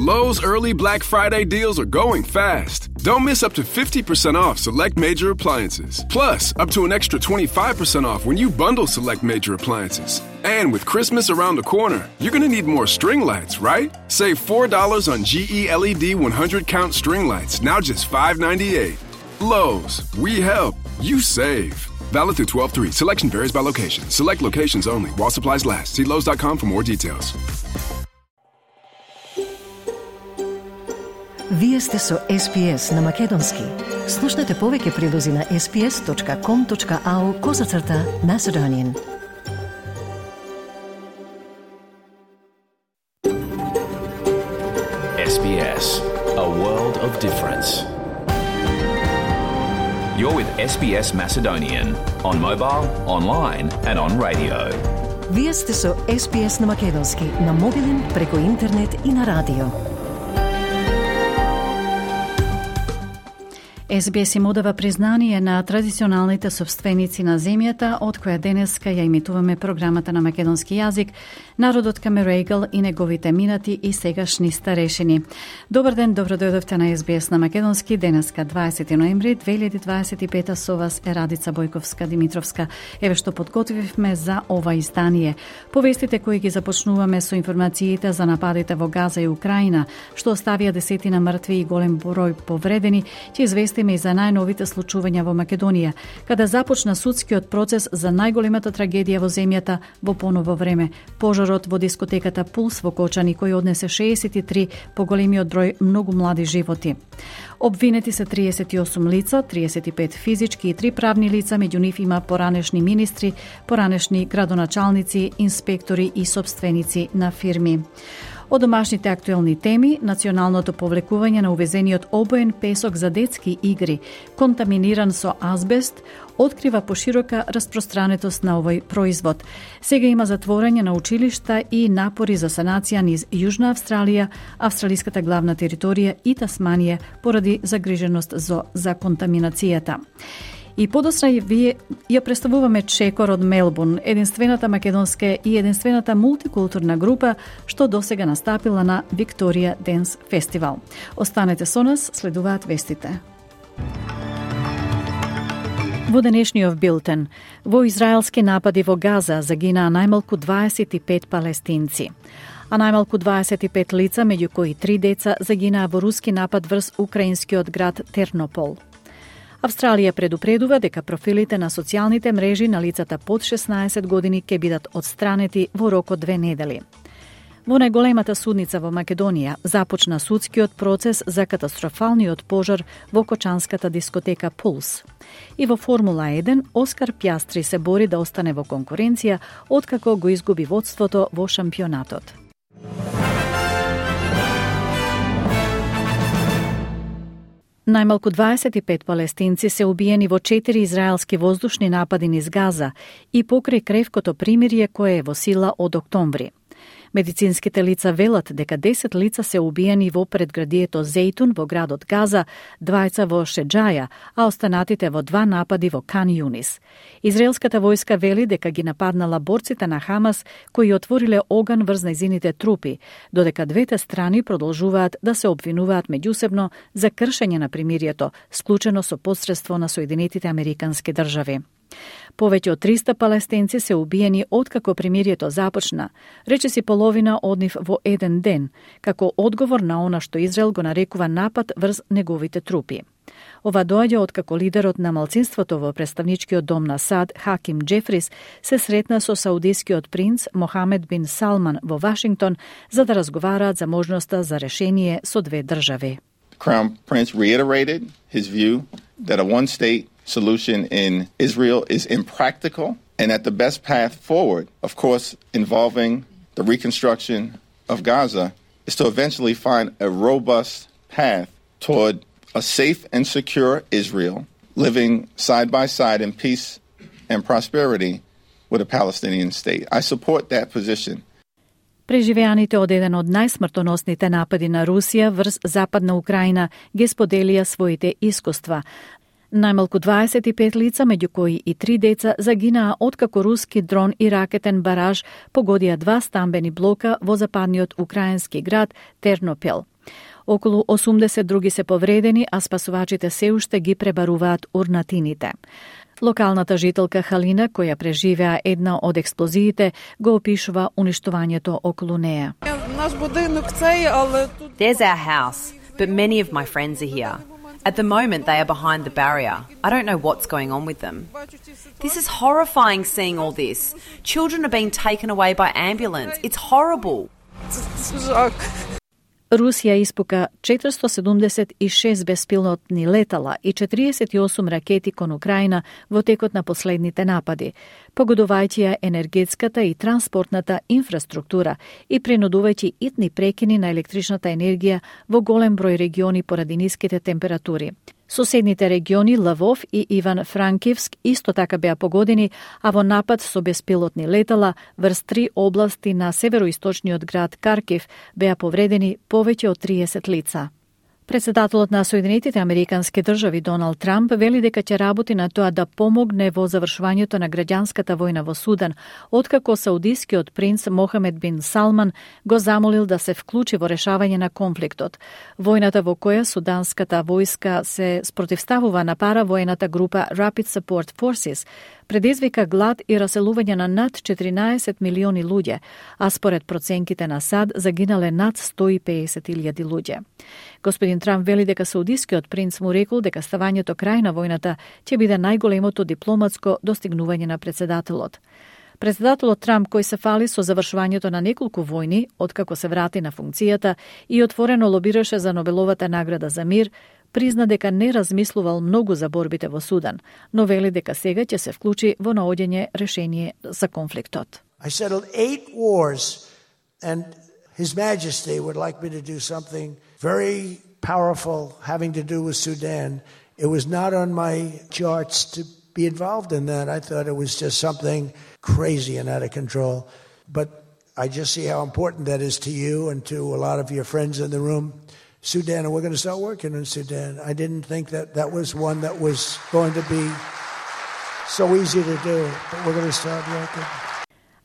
Lowe's early Black Friday deals are going fast. Don't miss up to 50% off select major appliances. Plus, up to an extra 25% off when you bundle select major appliances. And with Christmas around the corner, you're going to need more string lights, right? Save $4 on GE LED 100-count string lights, now just $5.98. Lowe's, we help, you save. Valid through 12/3. Selection varies by location. Select locations only. While supplies last. See Lowe's.com for more details. Вие сте со SPS на Македонски. Слушнете повеќе прилози на sps.com.au/Macedonian. SBS, a world of difference. You're with SBS Macedonian on mobile, online and on radio. Вие сте со SPS на Македонски на мобилен, преку интернет и на радио. SBS им одава признание на традиционалните собственици на земјата, од која денеска ја имитуваме програмата на македонски јазик, народот Камерегал и неговите минати и сегашни старешини. Добар ден, добро дојдовте на SBS на македонски. Денеска 20 ноември 2025 со вас е Радица Бојковска-Димитровска. Еве што подготвивме за ова издание. Повестите кои ги започнуваме со информациите за нападите во Газа и Украина, што оставија десетина мртви и голем број повредени, ќе известиме и за најновите случувања во Македонија, каде започна судскиот процес за најголемата трагедија во земјата во поново време. Пожарот во дискотеката Пулс во Кочани, кој однесе 63 поголемиот број многу млади животи. Обвинети се 38 лица, 35 физички и 3 правни лица, меѓу нив има поранешни министри, поранешни градоначалници, инспектори и собственици на фирми. Од домашните актуелни теми, националното повлекување на увезениот обоен песок за детски игри, контаминиран со азбест, открива поширока распространетост на овој производ. Сега има затворање на училишта и напори за санација низ Јужна Австралија, австралиската главна територија и Тасманија поради загриженост за контаминацијата. И подосна вие ја представуваме Чекор од Мелбурн, единствената македонска и единствената мултикултурна група што досега настапила на Викторија Денс фестивал. Останете со нас, следуваат вестите. Во денешниот билтен, во израелски напади во Газа загинаа најмалку 25 палестинци, а најмалку 25 лица, меѓу кои 3 деца, загинаа во руски напад врз украинскиот град Тернопол. Австралија предупредува дека профилите на социјалните мрежи на лицата под 16 години ќе бидат отстранети во рок од 2 недели. Во најголемата судница во Македонија започна судскиот процес за катастрофалниот пожар во кочанската дискотека Пулс. И во Формула 1 Оскар Пјастри се бори да остане во конкуренција откако го изгуби водството во шампионатот. Најмалку 25 палестинци се убиени во 4 израелски воздушни напади низ Газа и покрај кревкото примирие кое е во сила од октомври. Медицинските лица велат дека 10 лица се убиени во предградието Зейтун во градот Газа, 2 во Шеджаја, а останатите во 2 напади во Кан Юнис. Израелската војска вели дека ги нападнала борците на Хамас кои отвориле оган врз нејзините трупи, додека двете страни продолжуваат да се обвинуваат меѓусебно за кршење на примирието, склучено со посредство на Соединетите Американски држави. Повеќе од 300 палестинци се убиени откако примирието започна, речиси половина од нив во еден ден, како одговор на она што Израел го нарекува напад врз неговите трупи. Ова доаѓа откако лидерот на малцинството во представничкиот дом на САД, Хаким Джефрис, се сретна со саудискиот принц Мохамед бин Салман во Вашингтон за да разговараат за можноста за решение со 2 држави. Crown Prince reiterated his view that a one-state solution in Israel is impractical and that the best path forward, of course, involving the reconstruction of Gaza, is to eventually find a robust path toward a safe and secure Israel living side by side in peace and prosperity with a Palestinian state. I support that position. Преживеаните од еден од најсмртоносните напади на Русија врз Западна Украина ги споделија своите искуства. Најмалку 25 лица, меѓу кои и 3 деца, загинаа откако руски дрон и ракетен бараж погодија 2 стамбени блока во западниот украински град Тернопел. Околу 80 други се повредени, а спасувачите се уште ги пребаруваат урнатините. Локалната жителка Халина, која преживеа една од експлозиите, го опишува уништувањето околу неа. There's our house, but many of my friends are here. At the moment, they are behind the barrier. I don't know what's going on with them. This is horrifying seeing all this. Children are being taken away by ambulance. It's horrible. Русија испука 476 беспилотни летала и 48 ракети кон Украина во текот на последните напади, погодувајќи ја енергетската и транспортната инфраструктура и принудувајќи итни прекини на електричната енергија во голем број региони поради ниските температури. Соседните региони Лвов и Иван-Франкивск исто така беа погодени, а во напад со беспилотни летала врз 3 области на североисточниот град Каркив беа повредени повеќе од 30 лица. Председателот на Соединетите Американски држави Доналд Трамп вели дека ќе работи на тоа да помогне во завршувањето на граѓанската војна во Судан, откако саудискиот принц Мохамед бин Салман го замолил да се вклучи во решавање на конфликтот. Војната во која суданската војска се спротивставува на паравојната група Rapid Support Forces предизвика глад и раселување на над 14 милиони луѓе, а според проценките на САД загинале над 150.000 луѓе. Господин Трамп вели дека саудискиот принц му рекол дека ставањето крај на војната ќе биде најголемото дипломатско достигнување на председателот. Председателот Трамп, кој се фали со завршувањето на неколку војни, откако се врати на функцијата и отворено лобираше за Нобеловата награда за мир, призна дека не размислувал многу за борбите во Судан, но вели дека сега ќе се вклучи во наоѓање решение за конфликтот. I settled 8 wars and His Majesty would like me to do something very powerful having to do with Sudan. It was not on my charts to be involved in that. I thought it was just something crazy and out of control. But I just see how important that is to you and to a lot of your friends in the room. Sudan, and we're going to start working in Sudan. I didn't think that that was one that was going to be so easy to do, but we're going to start working.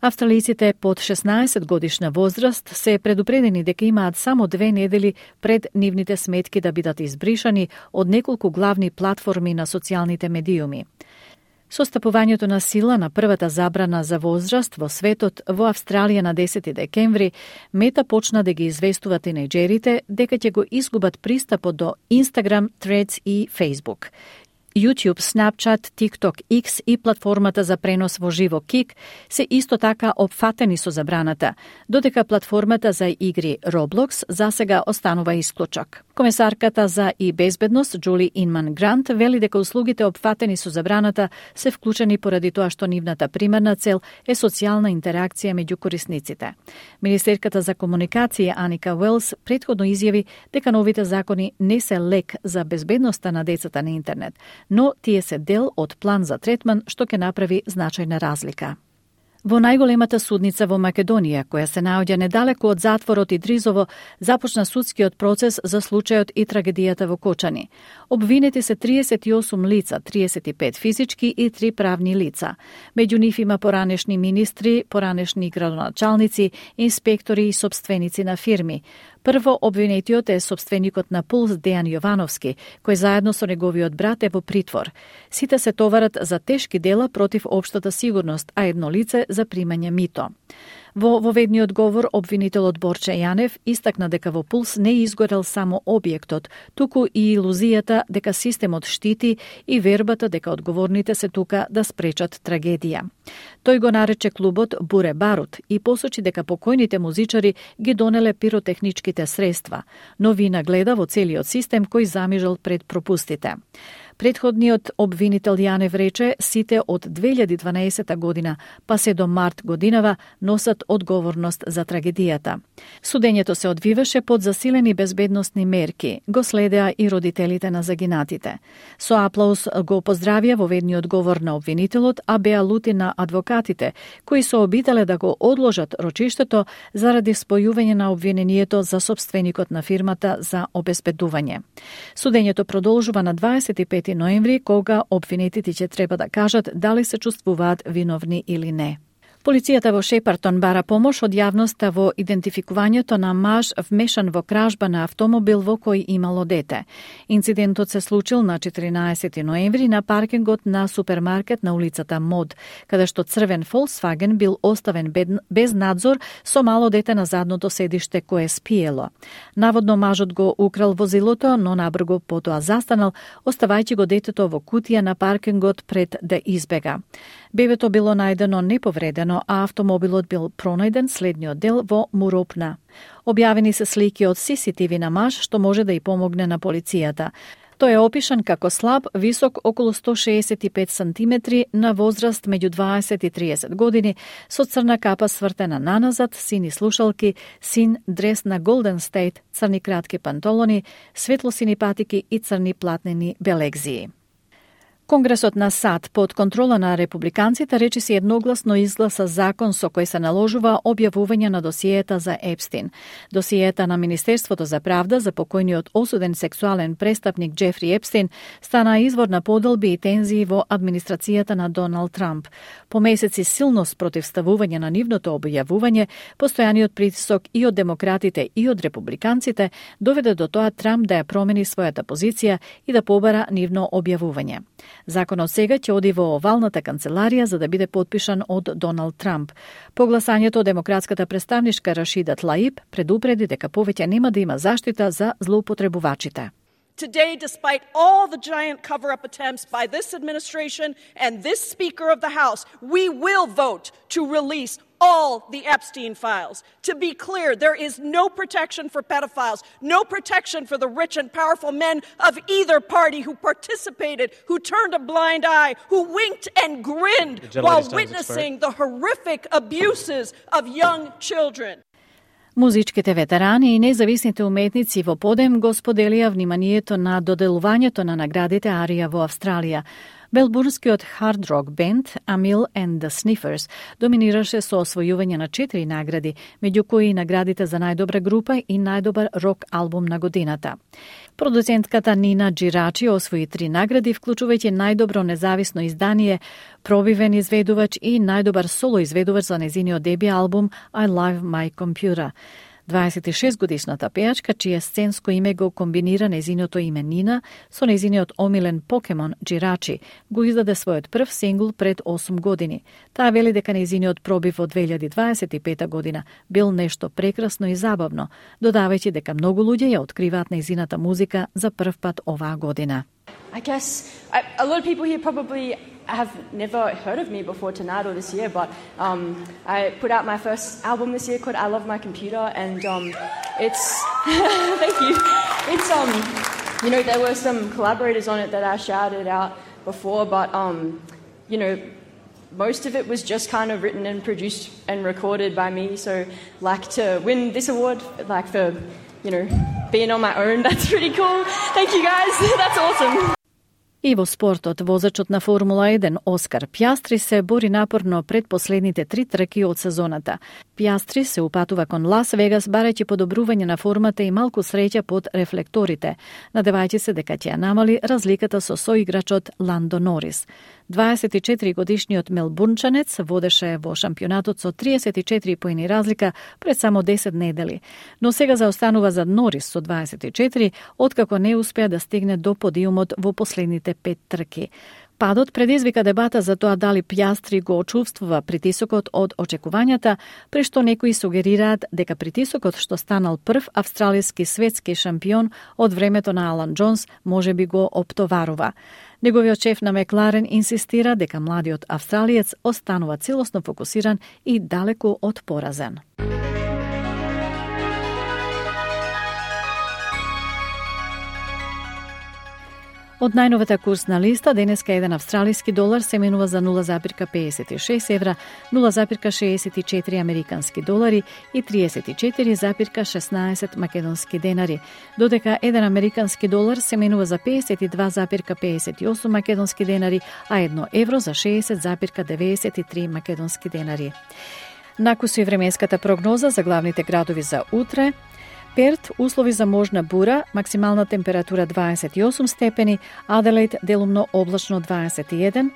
Австралиците под 16 годишна возраст се предупредени дека имаат само 2 недели пред нивните сметки да бидат избришани од неколку главни платформи на социјалните медиуми. Со стапувањето на сила на првата забрана за возраст во светот во Австралија на 10 декември, Мета почна да ги известува тинејџерите дека ќе го изгубат пристапот до Instagram, Threads и Facebook. YouTube, Snapchat, TikTok, X и платформата за пренос во живо Kik се исто така опфатени со забраната, додека платформата за игри Roblox засега останува исклучок. Комесарката за и безбедност Джули Инман Грант вели дека услугите опфатени со забраната се вклучени поради тоа што нивната примарна цел е социјална интеракција меѓу корисниците. Министерката за комуникација Аника Уелс претходно изјави дека новите закони не се лек за безбедноста на децата на интернет, но тие се дел од план за третман што ќе направи значајна разлика. Во најголемата судница во Македонија, која се наоѓа недалеку од затворот Идризово, започна судскиот процес за случајот и трагедијата во Кочани. Обвинети се 38 лица, 35 физички и 3 правни лица. Меѓу нив има поранешни министри, поранешни градоначалници, инспектори и сопственици на фирми. Прво обвинетиот е сопственикот на Пулс Дејан Јовановски, кој заедно со неговиот брат е во притвор. Сите се товарат за тешки дела против општата сигурност, а едно лице за примање мито. Во воведниот говор, обвинителот Борче Јанев истакна дека во Пулс не изгорел само објектот, туку и илузијата дека системот штити и вербата дека одговорните се тука да спречат трагедија. Тој го нарече клубот Буре Барут и посочи дека покојните музичари ги донеле пиротехничките средства, но вина гледа во целиот систем кој замижал пред пропустите. Предходниот обвинител Јанев рече сите од 2012 година па се до март годинава носат одговорност за трагедијата. Судењето се одвиваше под засилени безбедносни мерки, го следеа и родителите на загинатите. Со аплауз го поздравија воведниот говор на обвинителот, а беа лути на адвокатите, кои се обителе да го одложат рочиштето заради спојување на обвинението за сопственикот на фирмата за обезбедување. Судењето продолжува на 25 ноември, кога обвинетите ќе треба да кажат дали се чувствуваат виновни или не. Полицијата во Шепартон бара помош од јавноста во идентификувањето на маж вмешан во кражба на автомобил во кој имало дете. Инцидентот се случил на 14 ноември на паркингот на супермаркет на улицата Мод, каде што црвен Volkswagen бил оставен без надзор со мало дете на задното седиште кое спиело. Наводно мажот го украл возилото, но набрзо потоа застанал, оставајќи го детето во кутија на паркингот пред да избега. Бебето било најдено неповредено, а автомобилот бил пронајден следниот дел во Муропна. Објавени се слики од CCTV на маж, што може да и помогне на полицијата. Тој е опишан како слаб, висок околу 165 сантиметри, на возраст меѓу 20 и 30 години, со црна капа свртена наназад, сини слушалки, син дрес на Golden State, црни кратки панталони, светлосини патики и црни платнени белегзии. Конгресот на САД под контрола на републиканците речиси едногласно изгласа закон со кој се наложува објавување на досиета за Епстин. Досиета на Министерството за правда за покојниот осуден сексуален престапник Джефри Епстин стана извор на поделби и тензии во администрацијата на Доналд Трамп. По месеци силно спротивставување на нивното објавување, постојаниот притисок и од демократите и од републиканците доведе до тоа Трамп да ја промени својата позиција и да побара нивно објавување. Законот сега ќе оди во овалната канцеларија за да биде подпишан од Доналд Трамп. По гласањето, демократската представничка Рашида Тлаиб предупреди дека повеќе нема да има заштита за злоупотребувачите. Today, despite all the giant cover-up attempts by this administration and this Speaker of the House, we will vote to release all the Epstein files. To be clear, there is no protection for pedophiles, no protection for the rich and powerful men of either party who participated, who turned a blind eye, who winked and grinned while witnessing the horrific abuses of young children. Музичките ветерани и независните уметници во подем го споделија вниманието на доделувањето на наградите Арија во Австралија. Мелбурнскиот хард рок бенд Amil and the Sniffers доминираше со освојување на 4 награди, меѓу кои и наградите за најдобра група и најдобар рок албум на годината. Продуцентката Нина Джирачи освои 3 награди, вклучувајќи најдобро независно издание, пробивен изведувач и најдобар соло изведувач за незиниот деби албум I Love My Computer. 26-годишната пејачка, чие сценско име го комбинира незиното име Нина со незиниот омилен покемон Джирачи, го издаде својот прв сингл пред 8 години. Таа вели дека незиниот пробив во 2025 година бил нешто прекрасно и забавно, додавајќи дека многу луѓе ја откриваат незината музика за прв пат оваа година. I guess a lot of people here probably have never heard of me before tonight or this year, but I put out my first album this year called I Love My Computer, and it's thank you. It's you know, there were some collaborators on it that I shouted out before, but you know, most of it was just kind of written and produced and recorded by me. So, like, to win this award, like, for, you know, being on my own, that's pretty cool. Thank you guys. That's awesome. И во спортот, возачот на Формула 1 Оскар Пјастри се бори напорно пред последните 3 трки од сезоната. Пјастри се упатува кон Лас Вегас барајќи подобрување на формата и малку среќа под рефлекторите, надевајќи се дека ќе ја намали разликата со соиграчот Ландо Норис. 24-годишниот мелбурнчанец водеше во шампионатот со 34 поени разлика пред само 10 недели, но сега заостанува за Норис со 24, откако не успеа да стигне до подиумот во последните 5 трки. Падот предизвика дебата за тоа дали Пјастри го очувствува притисокот од очекувањата, при што некои сугерираат дека притисокот што станал прв австралиски светски шампион од времето на Алан Џонс можеби го оптоварува. Неговиот шеф на Мекларен инсистира дека младиот австралиец останува целосно фокусиран и далеку од поразен. Од најновата курсна листа, денеска еден австралиски долар се менува за 0,56 евра, 0,64 американски долари и 34,16 македонски денари, додека еден американски долар се менува за 52,58 македонски денари, а 1 евро за 60,93 македонски денари. Накусу временската прогноза за главните градови за утре. Перт, услови за можна бура, максимална температура 28 степени, Аделаид делумно облачно 21,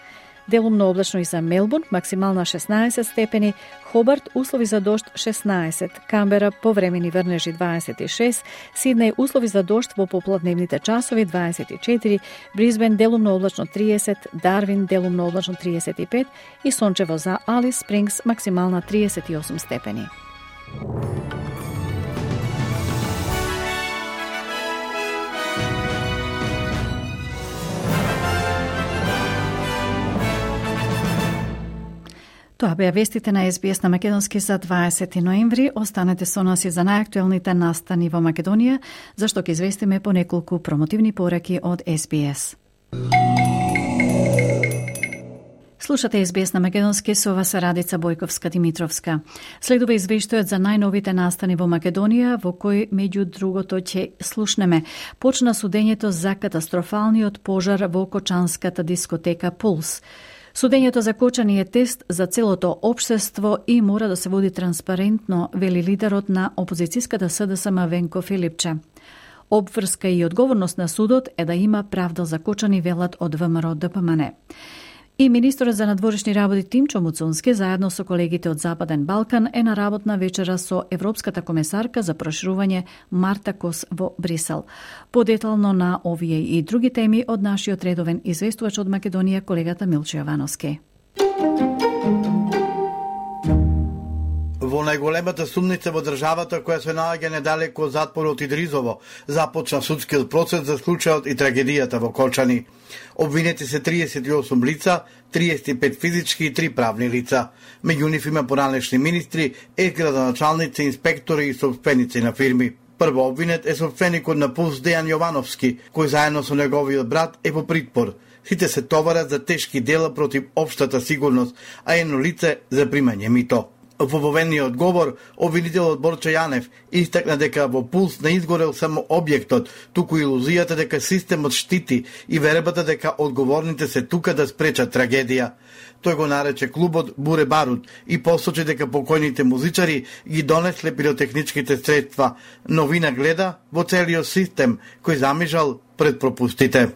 Делумно облачно и за Мелбурн, максимална 16 степени, Хобарт услови за дожд 16, Камбера повремени врнежи 26, Сиднеј услови за дожд во попладневните часови 24, Брисбен делумно облачно 30, Дарвин делумно облачно 35 и сончево за Алис Спрингс максимална 38 степени. Тоа беа вестите на SBS на Македонски за 20 ноември. Останете со нас и за најактуелните настани во Македонија, зашто ќе известиме по неколку промотивни пораки од SBS. Слушате SBS на Македонски, со вас Радица Бојковска-Димитровска. Следува извештајот за најновите настани во Македонија, во кој, меѓу другото, ќе слушнеме. Почна судењето за катастрофалниот пожар во кочанската дискотека Пулс. Судењето за кочани е тест за целото општество и мора да се води транспарентно, вели лидерот на опозицијската СДСМ Венко Филипче. Обврска и одговорност на судот е да има правда за кочани, велат од ВМРО ДПМН. И министерот за надворешни работи Тимчо Муцунски заедно со колегите од Западен Балкан е на работна вечера со Европската комесарка за проширување Марта Кос во Брисел. Подетално на овие и други теми од нашиот редовен известувач од Македонија, колегата Милчо Јовановски. Во најголемата сумница во државата, која се наоѓа недалеко од затворот Идризово, започна судскиот процес за случајот и трагедијата во Колчани. Обвинети се 38 лица, 35 физички и 3 правни лица. Меѓу нив има поранешни министри, градоначалници, инспектори и собственици на фирми. Прво обвинет е собственикот на Пулс Дејан Јовановски, кој заедно со неговиот брат е во притвор. Сите се товарат за тешки дела против општата сигурност, а едно лице за примање мито. Во поведниот говор, обвинителот Борче Јанев истакна дека во Пулс не изгорел само објектот, туку илузијата дека системот штити и вербата дека одговорните се тука да спречат трагедија. Тој го нарече клубот Буре Барут и посочи дека покојните музичари ги донесле пиротехничките средства, но вина гледа во целиот систем кој замижал пред пропустите.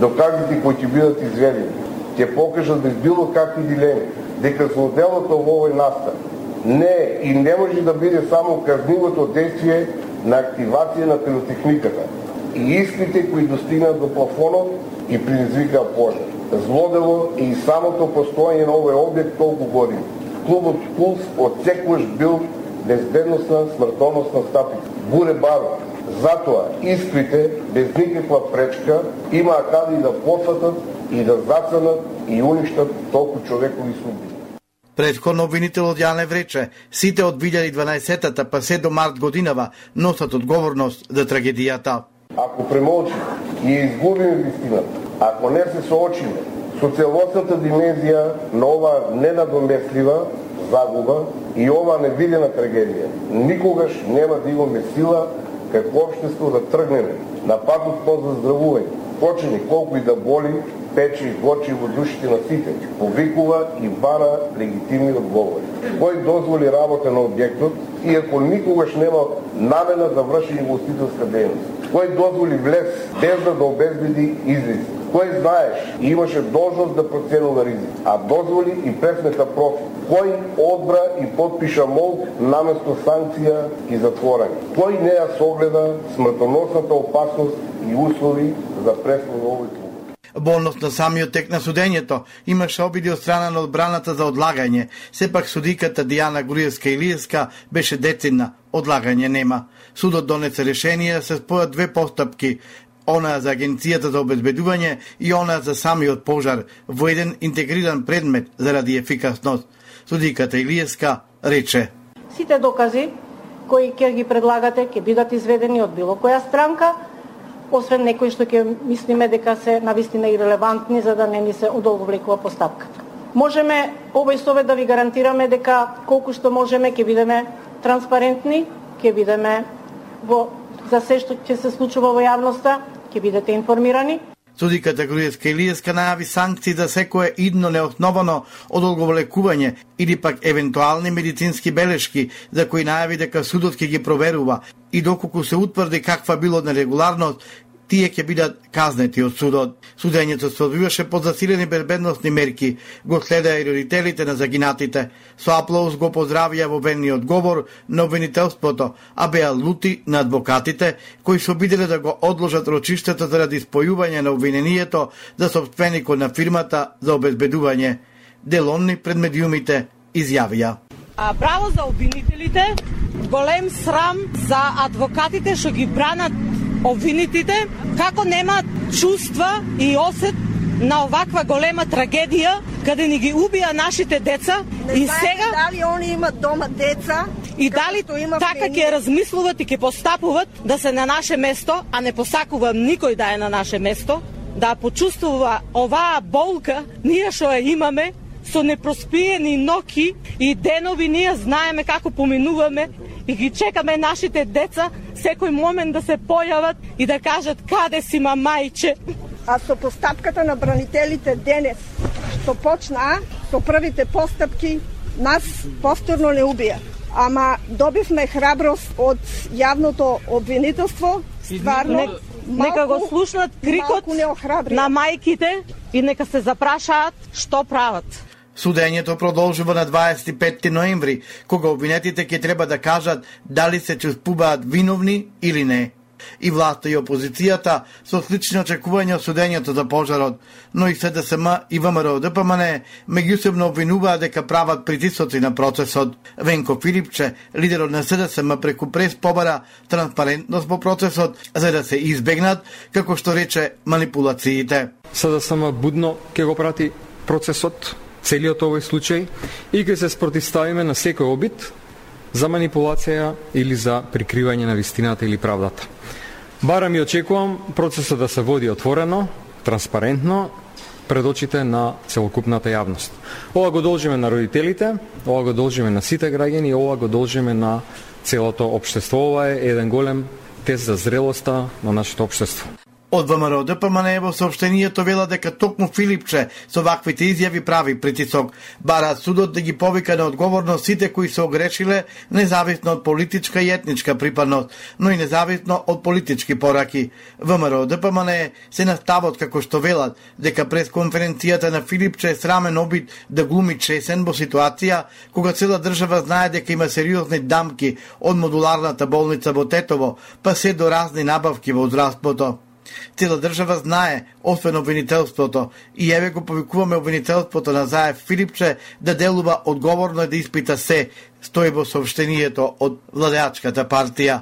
Доказите кои ќе бидат изведени ќе покажат без било какви дилеми дека злоделото во овој настан не и не може да биде само казнивото действие на активација на пиротехниката и искрите кои достигнат до плафонот и предизвикаа пожар. Злодело и самото постоење на овој објект толку години. Клубот Пулс отсекогаш бил безбедносна смртоносна стапица. Буре Баро. Затоа искрите без никаква пречка имаа каде и да посатат и да зацанат и уништат толку човекови судби. Претходно обвинителот Јанев рече, сите од 2012-та па се до март годинава носат одговорност за трагедијата. Ако премолчиме и изгубиме вистината, ако не се соочиме со целосната димензија на оваа ненадомеслива загуба и оваа невидена трагедија, никогаш нема да имаме сила како општество да тргнеме на патот по заздравување. Почини колку и да боли, пече и горчи во душите на сите, повикува и бара легитимни одговори. Кој дозволи работа на објектот, иако никогаш нема намена да врши инвеститорска дејност? Кој дозволи влез без да обезбеди излез? Кој знаеш и имаше должност да проценува ризик, а дозволи и пресмета профит? Кој одбра и подпиша молб наместо санкција и затворање? Кој не ја согледа смртоносната опасност и услови за преслов на овој клуб? Во однос на самиот тек на судењето, имаше обиди од страна на одбраната за одлагање. Сепак судиката Дијана Груевска-Илиевска беше децидна, одлагање нема. Судот донесе решение да се спојат две постапки, она за Агенцијата за обезбедување и она за самиот пожар, во еден интегриран предмет заради ефикасност. Судиката Илиевска рече: Сите докази кои ќе ги предлагате ќе бидат изведени од било која странка, освен некои што ќе мислиме дека се навистина и релевантни за да не ни се одолговлекува постапката. Можеме овој совет да ви гарантираме дека колку што можеме ќе бидеме транспарентни, ќе бидеме за се што ќе се случува во јавноста, ќе бидете информирани. Судиката Груевска-Илиевска најави санкции за секое идно неосновано одолговлекување или пак евентуални медицински белешки за кои најави дека судот ќе ги проверува и доколку се утврди каква било нерегуларност тие ќе бидат казнети од судот. Судењето се одвиваше под засилени безбедносни мерки, го следеа и родителите на загинатите. Со аплауз го поздравија во обвинениот говор на обвинителството, а беа лути на адвокатите, кои се обиделе да го одложат рочиштето заради спојување на обвинението за сопственикот на фирмата за обезбедување. Делонни пред медиумите изјавија: Браво за обвинителите, голем срам за адвокатите што ги бранат обвинитите, како немаат чувства и осет на оваква голема трагедија, каде ни ги убија нашите деца. И сега дали они имат дома деца и дали така ќе размислуват и ќе постапуват да се на наше место, а не посакува никој да е на наше место, да почувствува оваа болка, ние што ја имаме, со непроспиени ноќи и денови ние знаеме како поминуваме и ги чекаме нашите деца секој момент да се појават и да кажат каде си мамајче. А со постапката на бранителите денес, што почнаа со првите постапки, нас повторно не убија. Ама добивме храброст од јавното обвинителство, стварно. Нека го слушнат крикот на мајките и нека се запрашаат што прават. Судењето продолжува на 25 ноември, кога обвинетите ќе треба да кажат дали се чувствуваат виновни или не. И власта и опозицијата со слични очекувања од судењето за пожарот, но и СДСМ и ВМРО-ДПМН меѓусебно обвинуваат дека прават притисоци на процесот. Венко Филипче, лидерот на СДСМ, преку прес побара транспарентност во процесот за да се избегнат, како што рече, манипулациите. СДСМ будно ќе го прати процесот, целиот овој случај, и ќе се спротивставиме на секој обид за манипулација или за прикривање на вистината или правдата. Барам и очекувам процесот да се води отворено, транспарентно, пред очите на целокупната јавност. Ова го должиме на родителите, ова го должиме на сите граѓани, ова го должиме на целото општество. Ова е еден голем тест за зрелоста на нашето општество. Од ВМРО-ДПМН во соопштението вела дека токму Филипче со ваквите изјави прави притисок. Бараат судот да ги повика на одговорност сите кои се огрешиле, независно од политичка и етничка припадност, но и независно од политички пораки. ВМРО-ДПМН се наставот како што велат дека през конференцијата на Филипче е срамен обид да глуми чесен во ситуација кога цела држава знае дека има сериозни дамки од модуларната болница во Тетово, па се до разни набавки во здравството. Цела држава знае, освен обвинителството, и еве го повикуваме обвинителството на Заев Филипче да делува одговорно и да испита се, стои во соопштението од владеачката партија.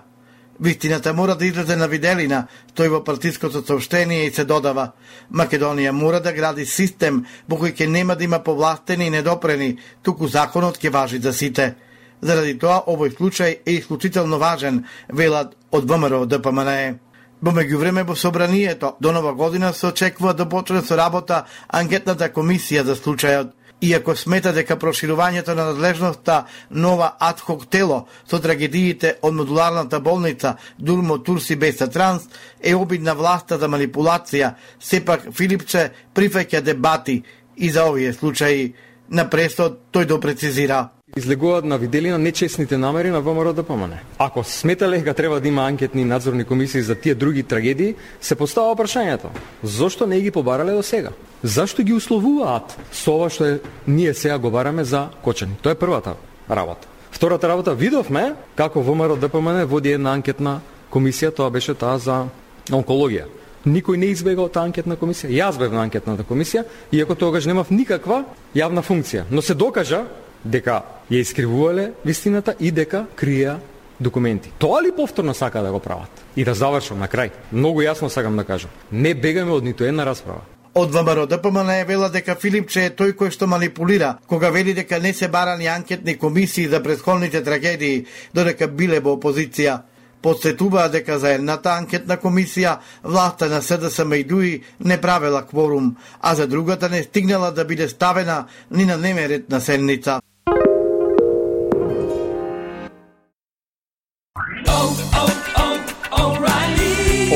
Вистината мора да излезе на виделина, стои во партиското соопштение и се додава: Македонија мора да гради систем во кој ќе нема да има повластени и недопрени, туку законот ќе важи за сите. Заради тоа овој случај е исклучително важен, велат од ВМРО-ДПМН. Во меѓувреме во собранието до нова година се очекува да почне со работа анкетната комисија за случајот. Иако смета дека проширувањето на надлежноста нова адхок тело со трагедиите од модуларната болница Дурмо Турси Беса Транс е обид на власта за манипулација, сепак Филипче прифаќа дебати и за овие случаи. На пресот тој допрецизира: излегуваат на виделина нечесните намери на ВМРО-ДПМН. Ако сметале дека треба да има анкетни и надзорни комисии за тие други трагедии, се постава прашањето: зошто не ги побарале до сега? Зашто ги условуваат со ова што ние сега го бараме за Кочани? Тоа е првата работа. Втората работа, видовме како ВМРО-ДПМН води една анкетна комисија, тоа беше таа за онкологија. Никој не избега од таа анкетна комисија. Јас бев на анкетната комисија, иако тогаш немав никаква јавна функција. Но се докажа дека ја искривувале вистината и дека крија документи. Тоа ли повторно сака да го прават? И да завршам на крај. Многу јасно сакам да кажам. Не бегаме од ниту една расправа. Од ВМРО-ДПМН вела дека Филипче е тој кој што манипулира, кога вели дека не се барани анкетни комисии за претходните трагедии, додека биле во опозиција. Подсетуваа дека за едната анкетна комисија власта на СДСМ и ДУИ не правела кворум, а за другата не стигнала да биде ставена ни на дневен ред на седница.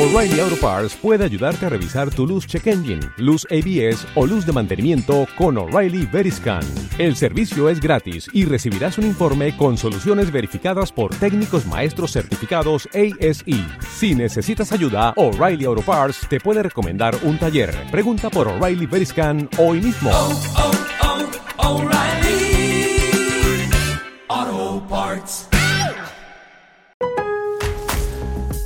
O'Reilly Auto Parts puede ayudarte a revisar tu luz check engine, luz ABS o luz de mantenimiento con O'Reilly Veriscan. El servicio es gratis y recibirás un informe con soluciones verificadas por técnicos maestros certificados ASE. Si necesitas ayuda, O'Reilly Auto Parts te puede recomendar un taller. Pregunta por O'Reilly Veriscan hoy mismo. O'Reilly Auto Parts.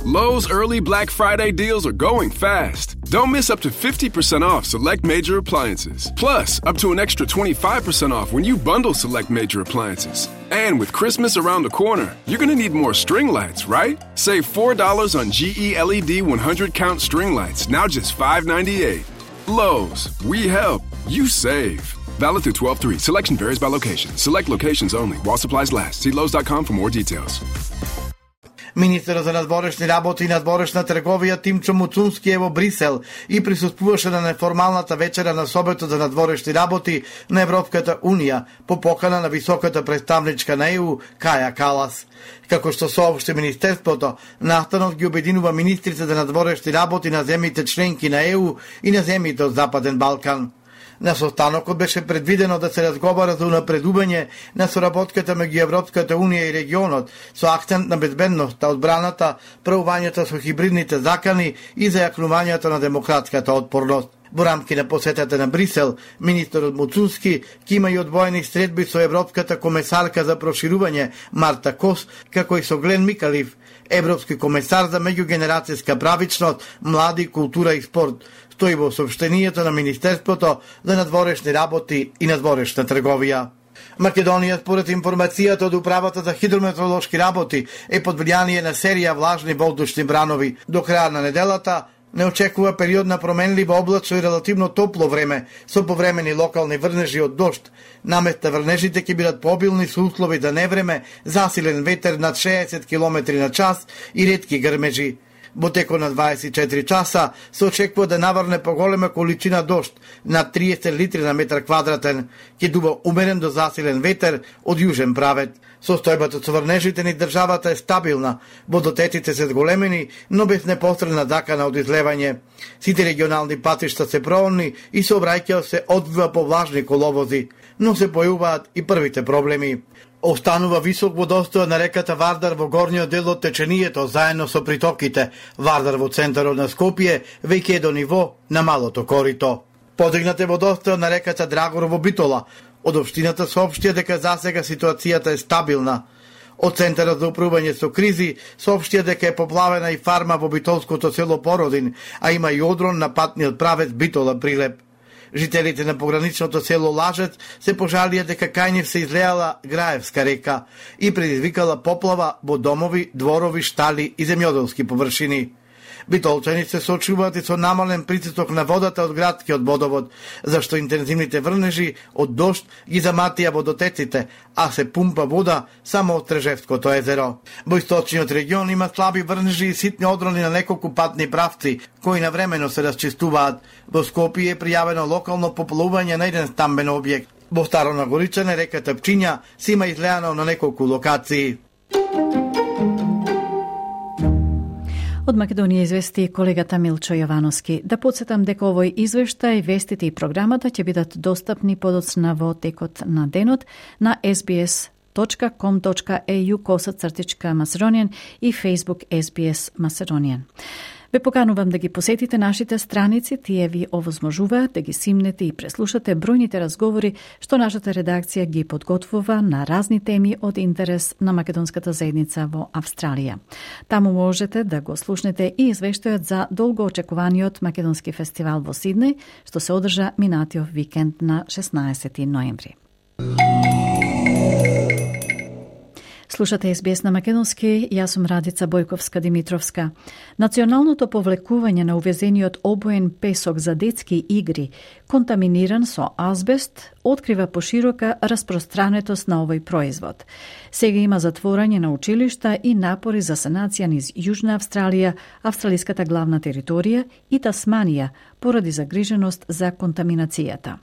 Lowe's early Black Friday deals are going fast. Don't miss up to 50% off select major appliances. Plus, up to an extra 25% off when you bundle select major appliances. And with Christmas around the corner, you're going to need more string lights, right? Save $4 on GE LED 100-count string lights, now just $5.98. Lowe's, we help, you save. Valid through 12/3. Selection varies by location. Select locations only. While supplies last. See Lowe's.com for more details. Министерот за надворешни работи и надворешна трговија Тимчо Муцунски е во Брисел и присуствуваше на неформалната вечера на Советот за надворешни работи на Европската Унија по покана на високата представничка на ЕУ Каја Калас. Како што соопшти Министерството, настанот ги обединува министрите за надворешни работи на земјите членки на ЕУ и на земјите од Западен Балкан. На состанокот беше предвидено да се разговара за унапредување на соработката меѓу Европската Унија и регионот со акцент на безбедноста, одбраната, правувањето со хибридните закани и зајакнувањето на демократската отпорност. Во рамки на посетата на Брисел, министерот Муцунски ќе има и одвоени средби со Европската комесарка за проширување Марта Кос, како и со Глен Микалив, Европски комесар за меѓугенерацијска правичност, млади, култура и спорт, стои во соопштенијето на Министерството за надворешни работи и надворешна трговија. Македонија, според информацијата од Управата за хидрометеоролошки работи, е под влијание на серија влажни воздушни бранови. До краја на неделата не очекува период на променливо облачно и релативно топло време, со повремени локални врнежи од дожд. Наместа врнежите ќе бидат побилни со услови за невреме, засилен ветер над 60 км на час и ретки грмежи. Во текот на 24 часа се очекува да наврне поголема количина дожд, над 30 литри на метар квадратен, ќе дува умерен до засилен ветер од јужен правец. Состојбата со врнежите ни државата е стабилна, водотеците се зголемени, но без непосредна закана од излевање. Сите регионални патишта се проонни и сообраќајот се одвива по влажни коловози, но се појавуваат и првите проблеми. Останува висок водостојот на реката Вардар во горниот дел од теченијето, заедно со притоките. Вардар во центарот на Скопје веќе е до ниво на малото корито. Подигнат е водостојот на реката Драгор во Битола. Од општината соопштија дека засега ситуацијата е стабилна. Од Центарот за управување со кризи соопштија дека е поплавена и фарма во битолското село Породин, а има и одрон на патниот правец Битола-Прилеп. Жителите на пограничното село Лажец се пожалија дека кај нив се излеала Граевска река и предизвикала поплава во домови, дворови, штали и земјоделски површини. Битолчани се соочуваат и со намален притисок на водата од градскиот водовод, зашто интензивните врнежи од дожд ги заматија водотеците, а се пумпа вода само од Трежевското езеро. Во источниот регион има слаби врнежи и ситни одрони на неколку патни правци, кои навремено се расчистуваат. Во Скопје е пријавено локално поплување на еден стамбен објект. Во Старо Нагоричане реката Пчиња се има излеано на неколку локации. Од Македонија извести колегата Милчо Јовановски. Да подсетам дека овој извештај, вестите и програмата ќе бидат достапни подоцна во текот на денот на sbs.com.au/Macedonian и Facebook SBS Macedonian. Ве поканувам да ги посетите нашите страници, тие ви овозможуваат да ги симнете и преслушате бројните разговори што нашата редакција ги подготвува на разни теми од интерес на македонската заедница во Австралија. Таму можете да го слушнете и извештајот за долго очекуваниот македонски фестивал во Сиднеј, што се одржа минатиот викенд на 16 ноември. Слушате СБС на македонски, јас сум Радица Бојковска-Димитровска. Националното повлекување на увезениот обоен песок за детски игри, контаминиран со азбест, открива поширока распространетост на овој производ. Сега има затворање на училишта и напори за санација низ Јужна Австралија, австралиската главна територија и Тасманија, поради загриженост за контаминацијата.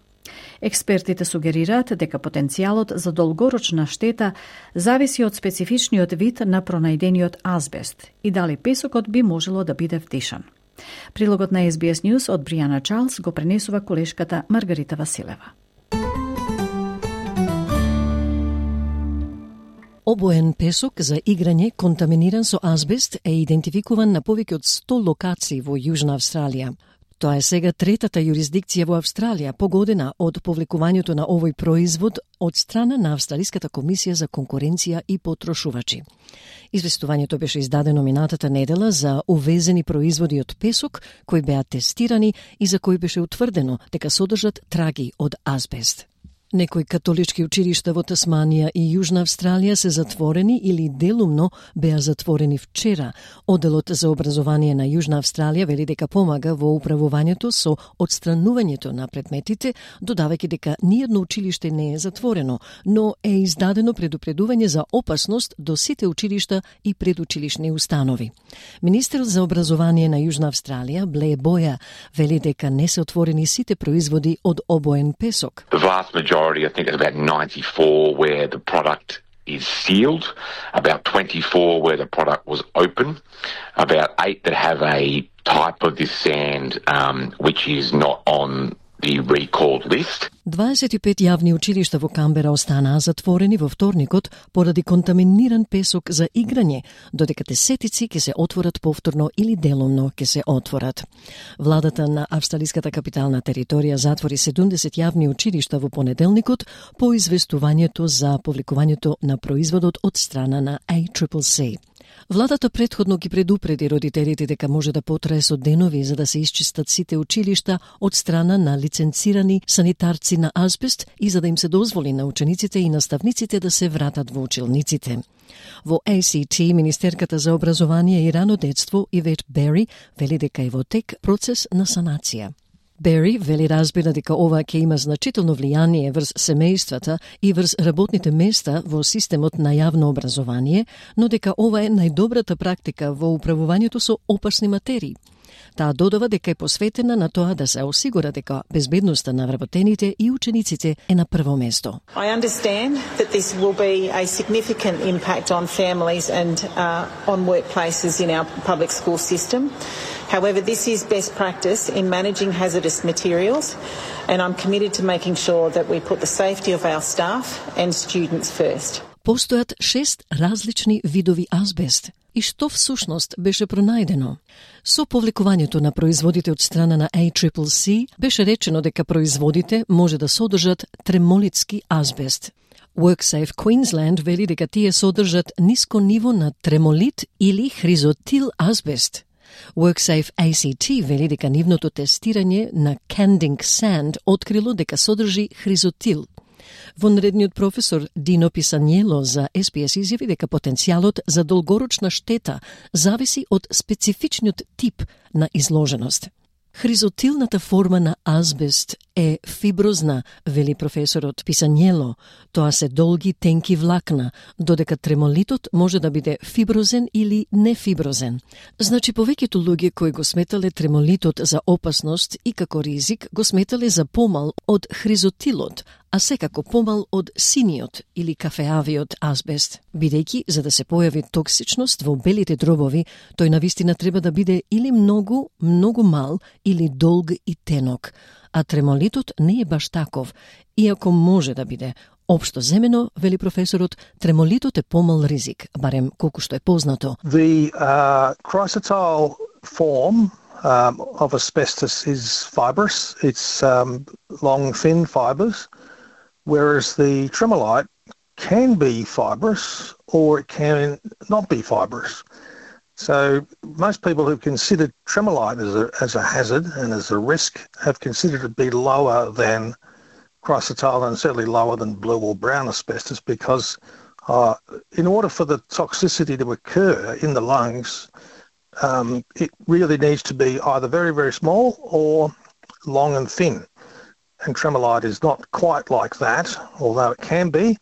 Експертите сугерираат дека потенцијалот за долгорочна штета зависи од специфичниот вид на пронајдениот азбест и дали песокот би можело да биде вдишан. Прилогот на SBS News од Бријана Чарлс го пренесува колешката Маргарита Василева. Обоен песок за играње контаминиран со азбест е идентификуван на повеќе од 100 локации во Јужна Австралија. Тоа е сега третата јурисдикција во Австралија погодена од повлекувањето на овој производ од страна на Австралиската комисија за конкуренција и потрошувачи. Известувањето беше издадено минатата недела за увезени производи од песок кои беа тестирани и за кои беше утврдено дека содржат траги од азбест. Некои католички училишта во Тасманија и Јужна Австралија се затворени или делумно беа затворени вчера. Оделот за образование на Јужна Австралија вели дека помага во управувањето со отстранувањето на предметите, додавајќи дека ниедно училиште не е затворено, но е издадено предупредување за опасност до сите училишта и предучилишни установи. Министерот за образование на Јужна Австралија, Блеј Боја, вели дека не се отворени сите производи од обоен песок. I think it's about 94 where the product is sealed, about 24 where the product was open, about 8 that have a type of this sand which is not on the recalled list. 25 јавни училишта во Камбера останаа затворени во вторникот поради контаминиран песок за играње, додека десетици ќе се отворат повторно или делумно ќе се отворат. Владата на австралиската капитална територија затвори 70 јавни училишта во понеделникот по известувањето за повлекувањето на производот од страна на ACCC. Владата претходно ги предупреди родителите дека може да потрае со денови за да се исчистат сите училишта од страна на лиценцирани санитарци на азбест и за да им се дозволи на учениците и наставниците да се вратат во училниците. Во ACT, Министерката за образование и рано детство Ивет Бери вели дека е во тек процес на санација. Бери вели разбира дека ова ќе има значително влијание врз семејствата и врз работните места во системот на јавно образование, но дека ова е најдобрата практика во управувањето со опасни материи. Таа додава дека е посветена на тоа да се осигура дека безбедноста на вработените и учениците е на прво место. I understand that this will be a significant impact on families and on workplaces in our public school system. However, this is best practice in managing hazardous materials, and I'm committed to making sure that we put the safety of our staff and students first. Постојат 6 различни видови азбест. И што всушност беше пронајдено? Со повлекувањето на производите од страна на ACCC беше речено дека производите може да содржат тремолитски азбест. WorkSafe Queensland вели дека тие содржат ниско ниво на тремолит или хризотил азбест. WorkSafe ACT вели дека нивното тестирање на Canding Sand открило дека содржи хризотил. Вонредниот професор Дино Писањело за SBS изјави дека потенцијалот за долгорочна штета зависи од специфичниот тип на изложеност. Хризотилната форма на азбест е фиброзна, вели професорот Писањело. Тоа се долги, тенки влакна, додека тремолитот може да биде фиброзен или нефиброзен. Значи, повеќето луѓе кои го сметале тремолитот за опасност и како ризик, го сметале за помал од хризотилот, а секако помал од синиот или кафеавиот азбест. Бидејќи, за да се појави токсичност во белите дробови, тој навистина треба да биде или многу, многу мал, или долг и тенок. А тремолитот не е баш таков, иако може да биде. Општо земено, вели професорот, тремолитот е помал ризик, барем колку што е познато. The chrysotile form of asbestos is fibrous. It's long, thin fibers, whereas the tremolite can be fibrous or it can not be fibrous. So most people who've considered tremolite as a hazard and as a risk have considered it be lower than chrysotile and certainly lower than blue or brown asbestos because in order for the toxicity to occur in the lungs, it really needs to be either very, very small or long and thin. And tremolite is not quite like that, although it can be.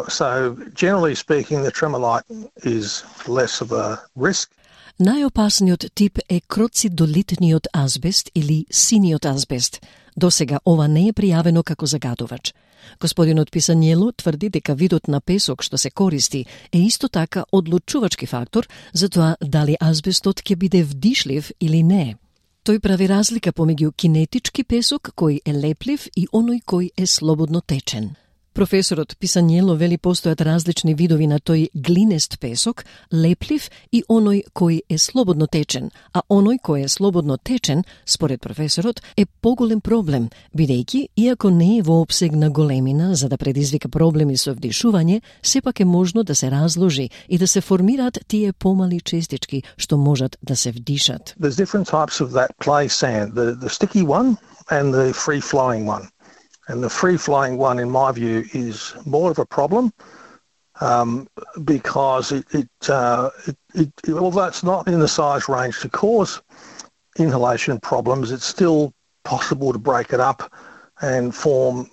So generally speaking, the tremolite is less of a risk. Најопасниот тип е кроцидолитниот азбест или синиот азбест. Досега ова не е пријавено како загадувач. Господинот Писањело тврди дека видот на песок што се користи е исто така одлучувачки фактор за тоа дали азбестот ќе биде вдишлив или не. Тој прави разлика помеѓу кинетички песок кој е леплив и оној кој е слободно течен. Професорот Писањело вели постојат различни видови на тој глинест песок, леплив и оној кој е слободно течен, а оној кој е слободно течен, според професорот, е поголем проблем, бидејќи, иако не е во опсег на големина за да предизвика проблеми со вдишување, сепак е можно да се разложи и да се формираат тие помали честички што можат да се вдишат. There's different types of that clay sand, the sticky one and the free-flowing one. And the free-flowing one, in my view, is more of a problem because although it's not in the size range to cause inhalation problems, it's still possible to break it up and form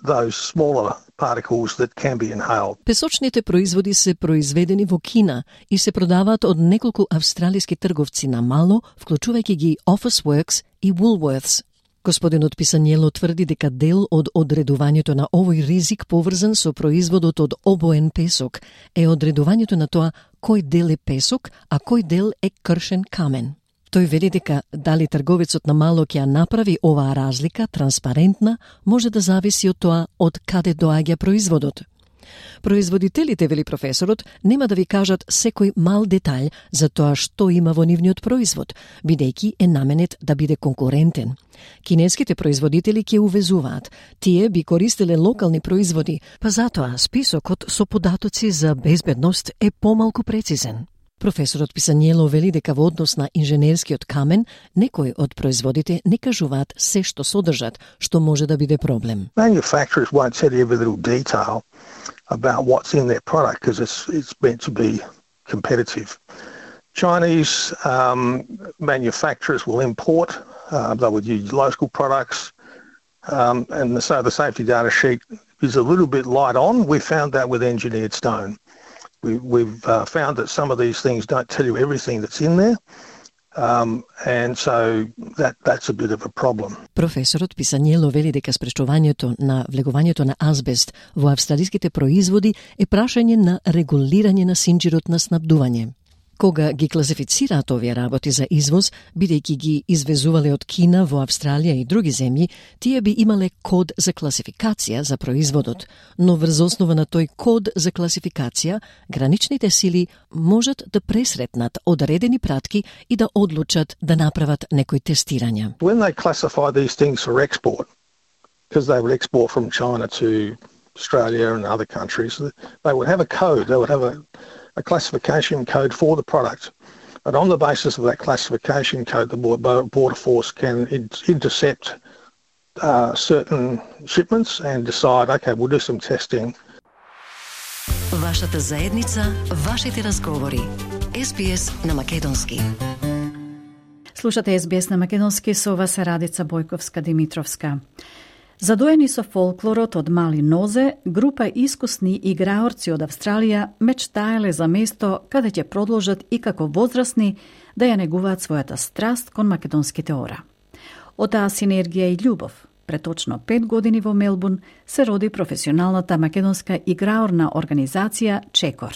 those smaller particles that can be inhaled. Песочните производи се произведени во Кина и се продаваат од неколку австралиски трговци на мало, вклучувајќи ги Officeworks и Woolworths. Господинот Писањело тврди дека дел од одредувањето на овој ризик поврзан со производот од обоен песок е одредувањето на тоа кој дел е песок, а кој дел е кршен камен. Тој вели дека дали трговецот на мало ќе ја направи оваа разлика транспарентна, може да зависи од тоа од каде доаѓа производот. Производителите, вели професорот, нема да ви кажат секој мал детаљ за тоа што има во нивниот производ, бидејќи е наменет да биде конкурентен. Кинеските производители ќе увезуваат. Тие би користеле локални производи, па затоа списокот со податоци за безбедност е помалку прецизен. Професорот Писањело вели дека во однос на инженерскиот камен, некои од производите не кажуваат се што содржат, што може да биде проблем. Manufacturers won't tell you every little detail about what's in their product because it's meant to be competitive. Chinese manufacturers will import, they would use local products, and so the safety data sheet is a little bit light on. We found that with engineered stone. We've found that some of these things don't tell you everything that's in there, and so that's a bit of a problem. Професорот Писањело вели дека спречувањето на влегувањето на азбест во австралиските производи е прашање на регулирање на синџирот на снабдување. Кога ги класифицираат овие работи за извоз, бидејќи ги извезувале од Кина во Австралија и други земји, тие би имале код за класификација за производот, но врз основа на тој код за класификација, граничните сили можат да пресретнат одредени пратки и да одлучат да направат некои тестирања. When they classify these things for export, because they would export from China to Australia and other countries, they would have a code, they would have a classification code for the product. And on the basis of that classification code, the Border Force can intercept certain shipments and decide, okay, we'll do some testing. Вашата заедница, вашите разговори. SBS на македонски. Слушате SBS на македонски, со вас е Радица Бојковска-Димитровска. Задоени со фолклорот од мали нозе, група искусни играорци од Австралија мечтаеле за место каде ќе продолжат и како возрастни да ја негуваат својата страст кон македонските ора. Од таа синергија и љубов, пред точно 5 години во Мелбурн, се роди професионалната македонска играорна организација Чекор.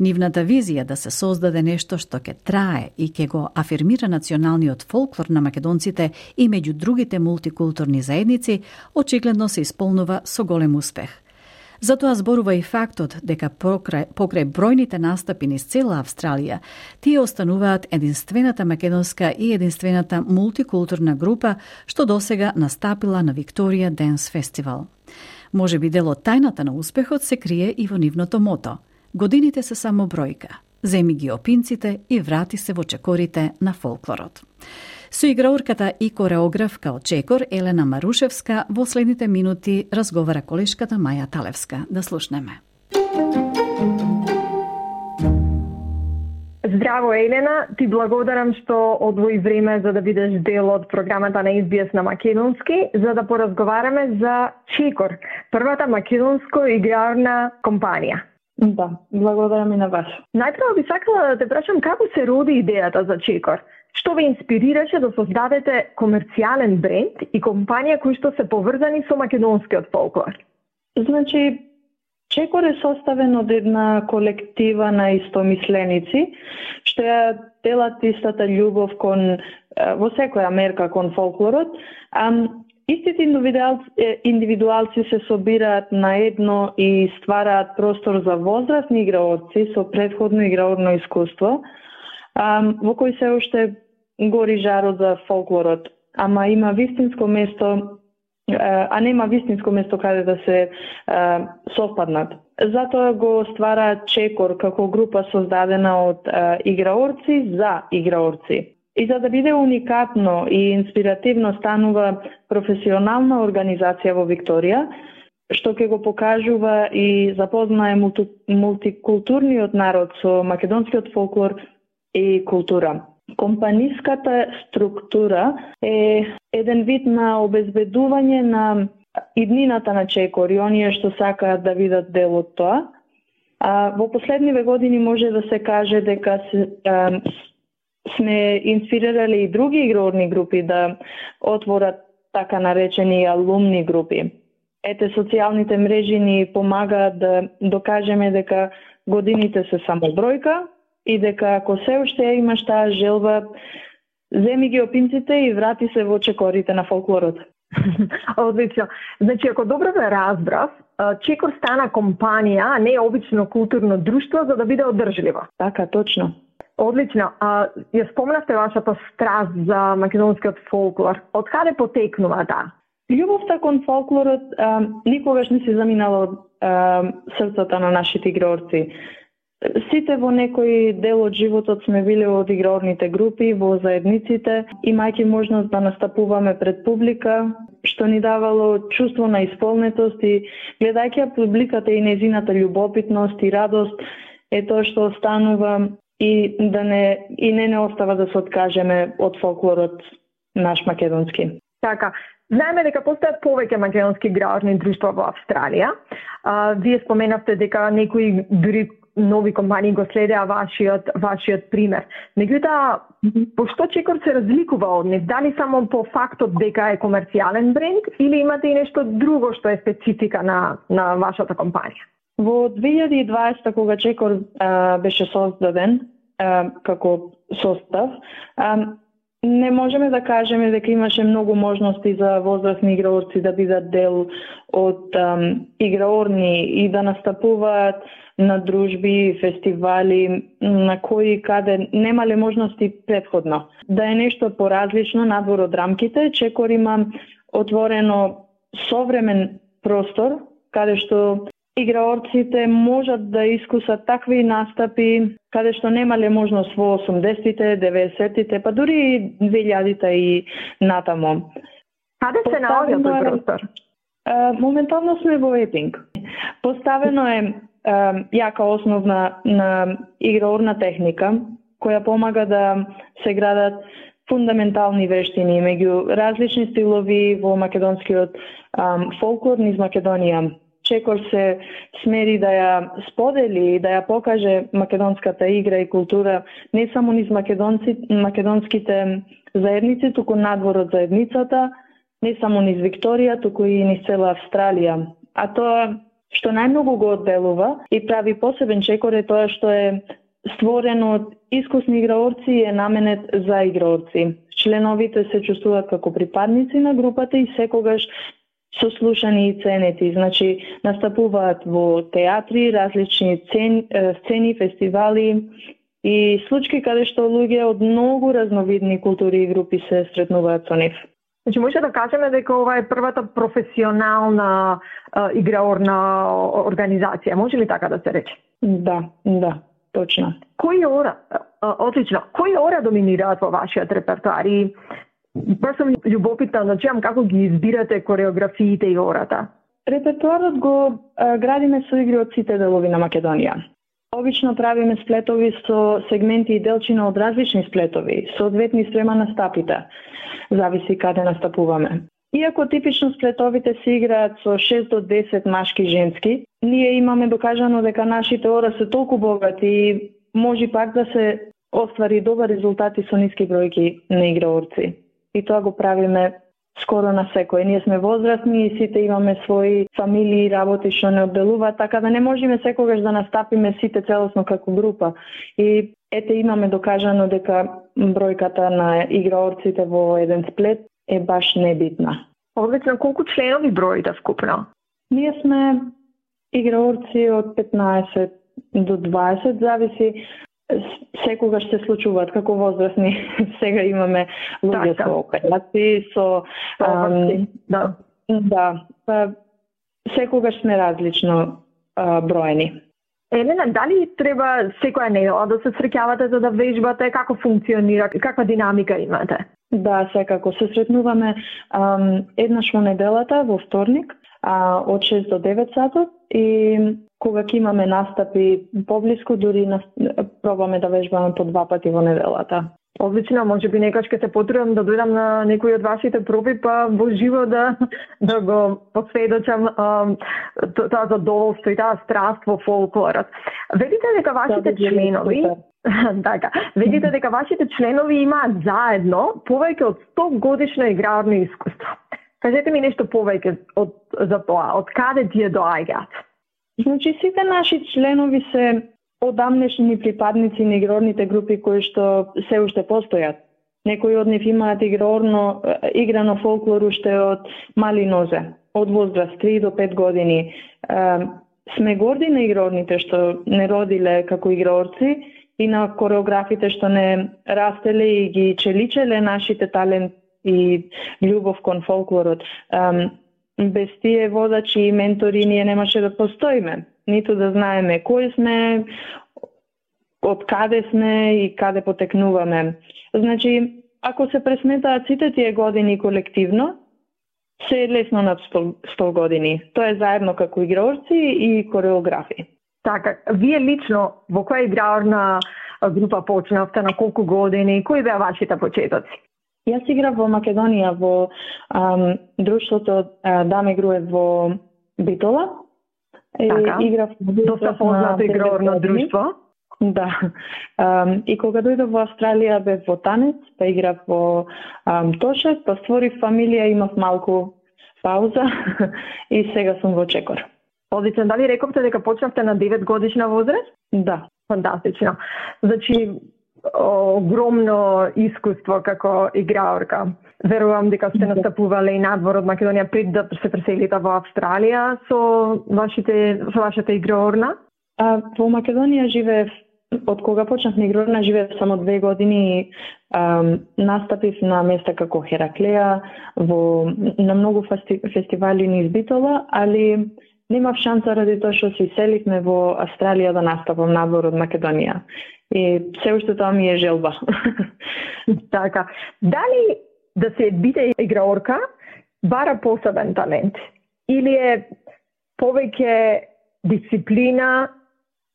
Нивната визија да се создаде нешто што ќе трае и ќе го афирмира националниот фолклор на македонците и меѓу другите мултикултурни заедници, очигледно се исполнува со голем успех. Затоа зборува и фактот дека покрај бројните настапи низ цела Австралија, тие остануваат единствената македонска и единствената мултикултурна група што досега настапила на Викторија Денс Фестивал. Можеби дел од тајната на успехот се крие и во нивното мото: годините се само бројка, земи ги опинците и врати се во чекорите на фолклорот. Со играорката и кореографка од Чекор Елена Марушевска во следните минути разговара колешката Маја Талевска. Да слушнеме. Здраво, Елена, ти благодарам што одвои време за да бидеш дел од програмата на SBS на македонски, за да поразговараме за Чекор, првата македонско играорна компанија. Да, благодарам и на вас. Најпрво би сакала да те прашам како се роди идејата за Чекор? Што ве инспирираше да создадете комерцијален бренд и компанија кои што се поврзани со македонскиот фолклор? Значи, Чекор е составен од една колектива на истомисленици, што ја делат истата љубов во секоја мерка кон фолклорот. Истите индивидуалци се собираат на едно и ствараат простор за возрастни играорци со претходно играорно искуство, во кој се уште гори жарот за фолклорот, ама има вистинско место, нема вистинско место каде да се совпаднат. Затоа го ствараат Чекор како група создадена од играорци за играорци. И за да биде уникатно и инспиративно станува професионална организација во Викторија, што ќе го покажува и запознае мултикултурниот народ со македонскиот фолклор и култура. Компаниската структура е еден вид на обезбедување на иднината на Чекор и оние што сакаат да видат дел од тоа. Во последниве години може да се каже дека сме инспирирали и други играорни групи да отворат така наречени алумни групи. Ете, социјалните мрежи ни помагаат да докажеме дека годините се само бројка и дека ако се уште имаш таа желба, земи ги опинците и врати се во чекорите на фолклорот. Одлично. Значи, ако добро ве разбрав, Чекор стана компанија, а не обично културно друштво за да биде одржливо. Така, точно. Одлично. Ја спомнавте вашата страст за македонскиот фолклор. Од каде потекнува таа? Љубовта кон фолклорот никогаш не се заминала од срцата на нашите играорци. Сите во некој дел од животот сме биле од играорните групи, во заедниците, имајќи можност да настапуваме пред публика, што ни давало чувство на исполнетост и гледајќи публиката и незината љубопитност и радост е тоа што останува и не остава да се откажеме од фолклорот наш македонски. Така, знаеме дека постојат повеќе македонски играорни друштва во Австралија. Вие споменавте дека некои дури нови компании го следеа вашиот пример. Меѓутоа, пошто Чекор се разликува од нив? Дали само по фактот дека е комерцијален бренд или имате и нешто друго што е специфика на вашата компанија? Во 2020, кога Чекор беше создаден како состав, не можеме да кажеме дека имаше многу можности за возрастни играорци да бидат дел од играорни и да настапуваат на дружби, фестивали, на кои каде немале можности претходно. Да е нешто поразлично надвор од рамките, Чекор има отворено современ простор, каде што играорците можат да искусат такви настапи, каде што немале можност во 80-тите, 90-тите, па дури и 2000-та и натамо. Каде се наоѓа тој простор? Моментално сме во Епинг. Поставено е јака основна на играорна техника, која помага да се градат фундаментални вештини меѓу различни стилови во македонскиот фолклор низ Македонија. Чекор се смери да ја сподели и да ја покаже македонската игра и култура не само низ македонските заедници, туку надвор од заедницата, не само низ Викторија, туку и низ цела Австралија. А тоа што најмногу го одделува и прави посебен Чекор е тоа што е створен од искусни играорци и е наменет за играорци. Членовите се чувствуваат како припадници на групата и секогаш сослушани и ценети. Значи, настапуваат во театри, различни сцени, фестивали и случаи каде што луѓе од многу разновидни култури и групи се сретнуваат со нив. Значи, може да кажеме дека ова е првата професионална играорна организација, може ли така да се рече? Да, точно. Отлично. Кои ора доминираат во вашиот репертоар и баш сум љубопитна да чуам како ги избирате кореографиите и ората? Репертоарот го градиме со игри од сите делови на Македонија. Обично правиме сплетови со сегменти и делчина од различни сплетови, соодветни спрема на стапите. Зависи каде настапуваме. Иако типично сплетовите се играат со 6 до 10 машки и женски, ние имаме докажано дека нашите ора се толку богати и може пак да се оствари добар резултати со ниски бројки на играорци. И тоа го правиме скоро на секој. Ние сме возрастни и сите имаме своји фамилии и работи што не одделуваат, така да не можеме секогаш да настапиме сите целосно како група. И ете имаме докажано дека бројката на играорците во еден сплет е баш небитна. Одлично, колку членови броите вкупно? Ние сме играорци од 15 до 20, зависи секогаш се случуваат како возрастни. Сега имаме луѓе со операции, со секогаш сме различно броени. Елена, дали треба секоја недела да се среќавате за да вежбате, како функционира, каква динамика имате? Да, секако се сретнуваме еднаш во неделата, во вторник, од 6 до 9 сатот и кога ќе имаме настапи поблиску, дури пробаме да вежбаме по 2 пати во неделата. Одлично, може би некој ќе се потрудам да дојдам на некој од вашите проби, па во живо да го посведочам тоа задоволство и таа страст во фолклорот. Ведите дека вашите членови така, видите дека вашите членови имаат заедно повеќе од 100 годишно играрно искуство. Кажете ми нешто повеќе за тоа, од каде тие доаѓаат? Значи, сите наши членови се одамнешни припадници на игрорните групи кои што се уште постојат. Некои од нив имаат играно фолклор уште од мали нозе, од возраст 3 до 5 години. Сме горди на игрорните што не родиле како играорци и на кореографите што не растеле и ги челичеле нашите талент и љубов кон фолклорот. Без тие водачи и ментори ние немаше да постоиме, ниту да знаеме кои сме, од каде сме и каде потекнуваме. Значи, ако се пресметаат сите тие години колективно, се е лесно над 100 години. Тоа е заедно како играорци и кореографи. Така, вие лично во која играрна група почнавте, на колку години, кои беа вашите почетоци? Јас играв во Македонија во друштвото Даме Груев во Битола. Така, доста познато играрно друштво. Да. И кога дојдов во Австралија бев во Танец, па играв во Тошак, па створив фамилија, имав малку пауза и сега сум во Чекор. Одлично, дали рековте дека почнавте на 9 годишна возраст? Да. Фантастично. Значи, огромно искуство како играорка. Верувам дека сте настапувале и надвор од Македонија пред да се преселите во Австралија со вашата играорна? Во Македонија живеев, од кога почнав на играорна, живеев само 2 години и настапив на места како Хераклеја, на многу фестивали низ Битола, али немав шанса ради тоа што се селивме во Австралија да настапам надвор од Македонија. И се уште тоа ми е желба. Така. Дали да се биде играорка бара посебен талент? Или е повеќе дисциплина,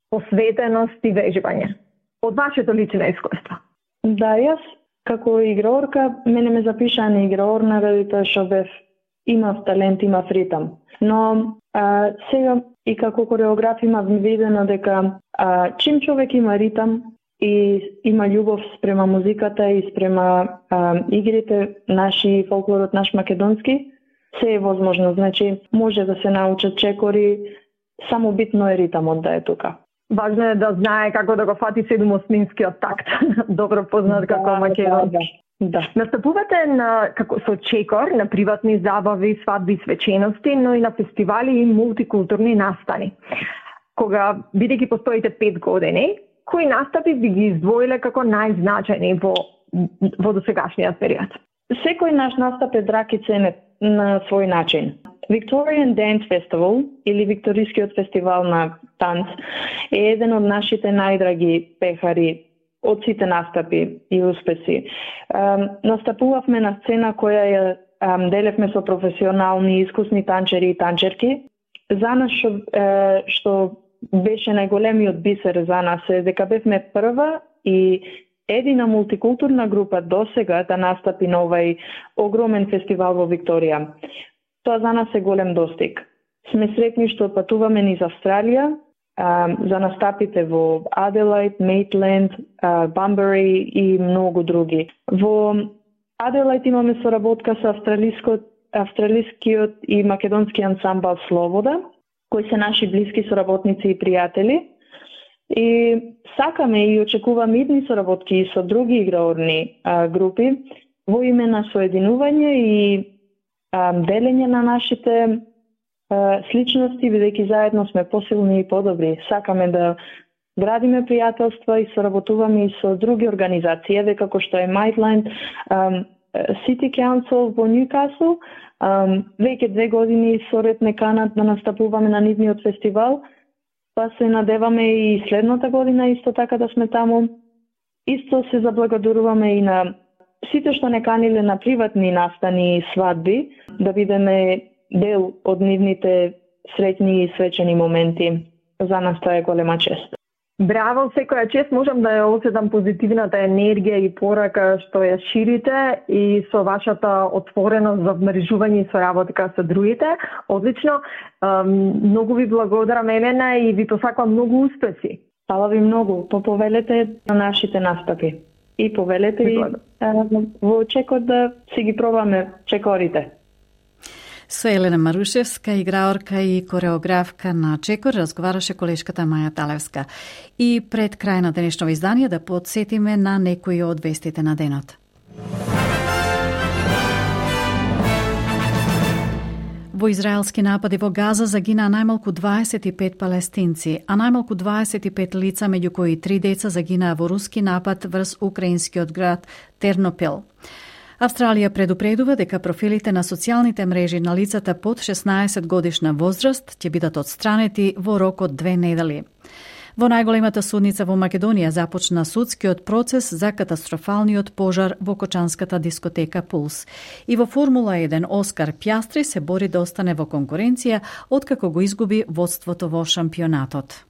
посветеност и вежбање? Од вашето лично искуство? Да, јас како играорка, мене ме запишаа на играорна ради тоа што имав талент, имав ритам. Но сега и како кореограф имав видено дека чим човек има ритам и има љубов спрема музиката и спрема игрите, наши фолклорот, наш македонски, се е возможно. Значи, може да се научат чекори, само битно е ритамот да е тука. Важно е да знае како да го фати 7/8-скиот такт, добро познат како македонски. Да. Настапувате со чекор на приватни забави, свадби, свечености, но и на фестивали и мултикултурни настани. Кога, бидејќи постоите 5 години, кои настапи би ги издвоиле како најзначајни во досегашниот период? Секој наш настап е драг и ценет на свој начин. Victorian Dance Festival, или Викторискиот фестивал на танц, е еден од нашите најдраги пехари од сите настапи и успеси. Настапувавме на сцена која ја делевме со професионални и искусни танчери и танчерки. За нас што беше најголемиот бисер за нас е дека бевме прва и едина мултикултурна група досега да настапи на овај огромен фестивал во Викторија. Тоа за нас е голем достиг. Сме сретни што патуваме низ Австралија за настапите во Аделаид, Мейтленд, Бамбери и многу други. Во Аделаид имаме соработка со австралискиот и македонски ансамбл Слобода, кои се наши блиски соработници и пријатели. И сакаме и очекуваме идни соработки и со други играорни групи во име на соединување и делење на нашите сличности, бидејќи заедно сме посилни и подобри. Сакаме да градиме пријателства и соработуваме и со други организации, еве како што е Maitland City Council во Ньюкасл. Веќе 2 години соред не канат да настапуваме на нивниот фестивал, па се надеваме и следната година исто така да сме таму. Исто се заблагодаруваме и на сите што не каниле на приватни настани и свадби, да бидеме дел од нивните среќни и свечени моменти. За нас тоа е голема чест. Браво, секоја чест можам да ја осетам позитивната енергија и порака што ја ширите и со вашата отвореност за вмрежување и соработка со другите. Одлично. Многу ви благодарам, Елена, и ви посакувам многу успеси. Фала ви многу. Повелете на нашите настапи. И повелете и во Чекор да си ги пробаме чекорите. Со Елена Марушевска, играорка и кореографка на Чекор, разговараше колешката Маја Талевска. И пред крај на денешното издание да подсетиме на некои од вестите на денот. Во израелски напади во Газа загинаа најмалку 25 палестинци, а најмалку 25 лица, меѓу кои 3 деца, загинаа во руски напад врз украинскиот град Тернопил. Австралија предупредува дека профилите на социјалните мрежи на лицата под 16 годишна возраст ќе бидат отстранети во рок од 2 недели. Во најголемата судница во Македонија започна судскиот процес за катастрофалниот пожар во кочанската дискотека Пулс. И во Формула 1 Оскар Пјастри се бори да остане во конкуренција откако го изгуби водството во шампионатот.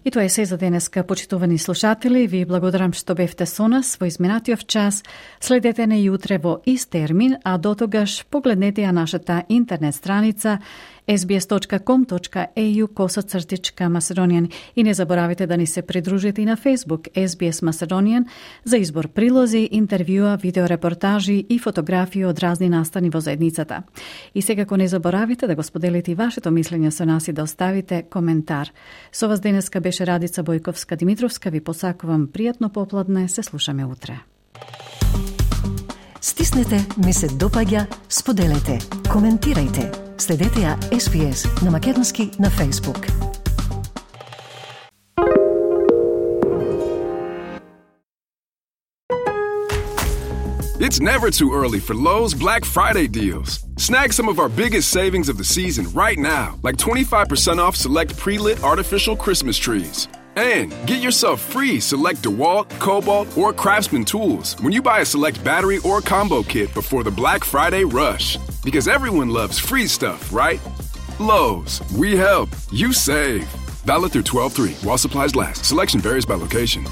И тоа е се за денеска, почитувани слушатели. Ви благодарам што бевте со нас во изминатиот час. Следете не и утре во ист термин, а дотогаш погледнете ја нашата интернет страница sbs.com.au/Macedonian и не заборавите да ни се придружите и на Facebook SBS Macedonian за избор прилози, интервјуа, видеорепортажи и фотографии од разни настани во заедницата. И секако не заборавите да го споделите и вашето мислење со нас и да оставите коментар. Со вас денеска беше Радица Бојковска-Димитровска. Ви посакувам пријатно попладне. Се слушаме утре. Стиснете, ми се допаѓа, споделете, коментирајте. Следете ја SBS на македонски на Facebook. It's never too early for Lowe's Black Friday deals. Snag some of our biggest savings of the season right now, like 25% off select pre-lit artificial Christmas trees. And get yourself free select DeWalt, Cobalt, or Craftsman tools when you buy a select battery or combo kit before the Black Friday rush. Because everyone loves free stuff, right? Lowe's, we help, you save. Valid through 12/3 while supplies last. Selection varies by location.